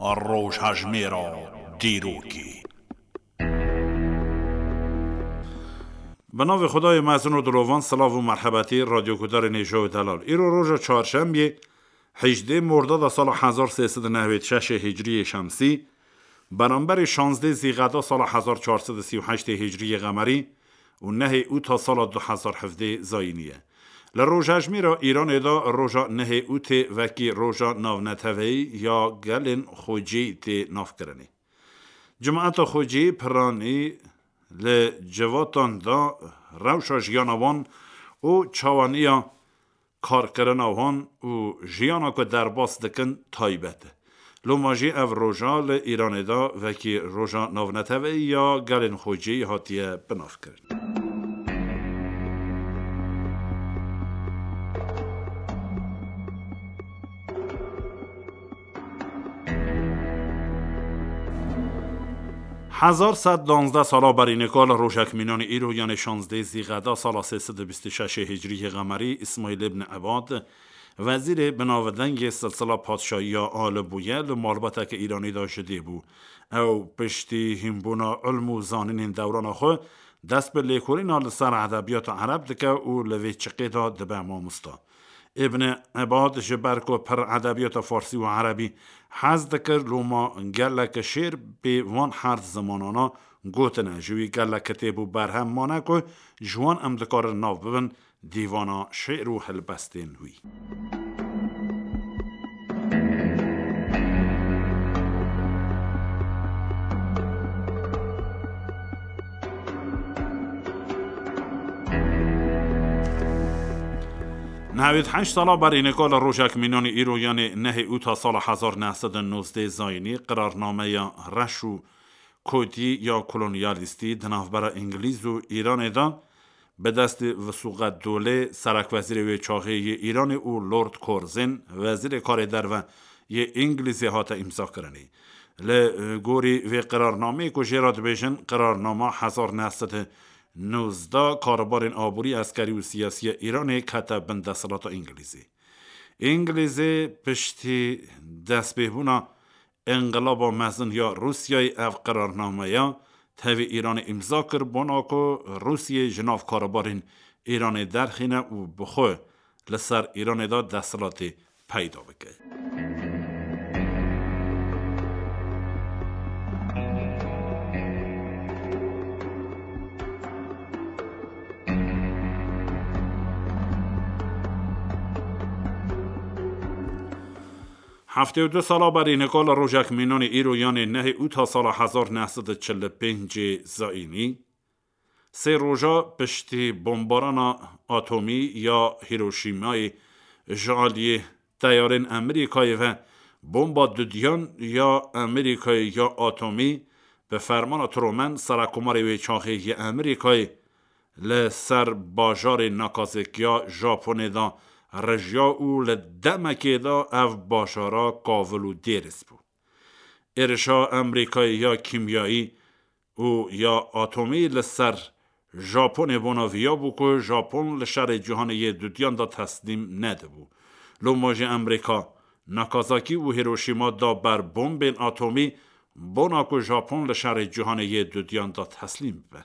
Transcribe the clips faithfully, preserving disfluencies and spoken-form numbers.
Rojhejmêra dîrokê. Bi navê Xwedayê mezin û dilovan, silav û merhebetî, radyogudarên hêja û delal. Îro roja çarşembiyê, hejdê Mordada sala hezar sê sed û newêd şeşê Hicriyê Şemsî, beramberî şazdê Zîqeda sala hezar çar sed û sî û heştê Hicriyê Qemerî û nehê Ûta sala du hezar hevdê Zayînî ye. Li rojhejmêra Îranê de roja nehê Ûtê wekî roja navneteweyî ya gelên xwecî tê navkirinê. Cemaeta xwecî piranî li civatan de rewşa jiyana wan û çawaniya karkirina wan û jiyana ku derbas dikin taybet e. Loma jî ev roja li Îranê de wekî roja navneteweyî ya gelên xwecî hatiye binavkirin. Hezar sed danzdeh sala berî nika li rojek mînanî îro, yanê şazdê Zîqeda sala sê sed û bîst û şeşê Hicriyê Qemerî, Îsmaîl ibn Ebad, wezîrê binavdengê silsila padşahiya Alî bûye, li malbateke Îranî de ji dê bû. Ew piştî hînbûna ilm û zanînên dewrana xwe, dest bi lêkolîna li ser edebiyata ereb dike û li vê çiqê de dibe mamosta. Îbn Ebad ji ber ku pir edebiyata farsî û erebî hez dikir, loma gelek şêr bi van her zimanana gotine. Ji wî gelek kitêb û berhem mane ku ji wan em dikarin nav bibin dîvana şêr û helbestên wî. Nehwêd heşt sala berî nika li rojek mînanî îro, yanê nehê Ûta sala hezar neh sed û nozdeh Zayînî, qirarnameya reş û kotî ya kolonyalîstî di navbera Îngilîz û Îranê de bi destê Visuqet Dolê, serekwezîrê wê çaxê yê Îranê, û Lord Curzon, wezîrê karê derve yê Îngilîzê, hate îmzakirinê. Li gorî vê qirarnameyê ku jê re dibêjin qirarnama hezar neh sed û nozdeh, karbarên aborî, eskerî û siyasî ya Îranê kete bin desthilata Îngilîzê. Îngilîzê piştî destpêbûna Înqilaba Mezin ya Rûsyayê ev qirarnameya tevî Îranê îmza kir, bona ku Rûsyê ji nav karbarên Îranê derxîne û bi xwe li ser Îranê de desthilatê peyda bike. Heftê û du sala berî nika li rojek mînanê îro, yanê nehê Ûta sala hezar neh sed û çil û pêncê Zayînî, sê roja piştî bombarana atomî ya Hiroşîmayê ji aliyê teyarên Amerîkayê ve, bomba dudiyan ya Amerîkayê ya atomî bi fermana Truman, serekomarê wê çaxê yê Amerîkayê, li ser bajarê Nagasaki ya Japonê de rijiya û li demekê de ev bajara kavil û dêrist bû. Êrişa Amerîkayê ya kîmyayî û ya atomî li ser Japonê bona viya bû ku Japon li şerê cîhanê yê dudiyan de teslîm nedibû. Loma jî Amerîka Nagasaki û Hiroşîma da ber bombên atomî, bona ku Japon li şerê cîhanê yê dudiyan de teslîm bibe.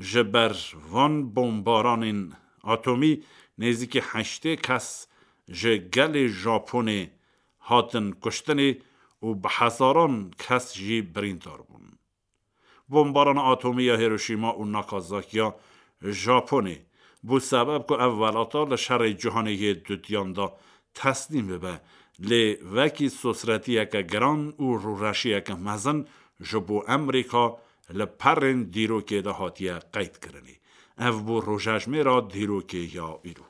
Ji ber van bombaranên atomî nêzîkî heştê kes ji gelê Japonê hatin kuştinê û bi hezaran kes jî birîndar bûn. Bombarana atomî ya Hiroşîma û Nakazakiya Japonê bû sebeb ku ev welata li şerê cîhanê yê dudiyan de teslîm bibe, lê wekî sosretiyeke giran û rûreşiyeke mezin ji bo Amerîka li perên dîrokê de hatiye qeydkirinê. Ev bû rojejmêra dîrokê ya îro.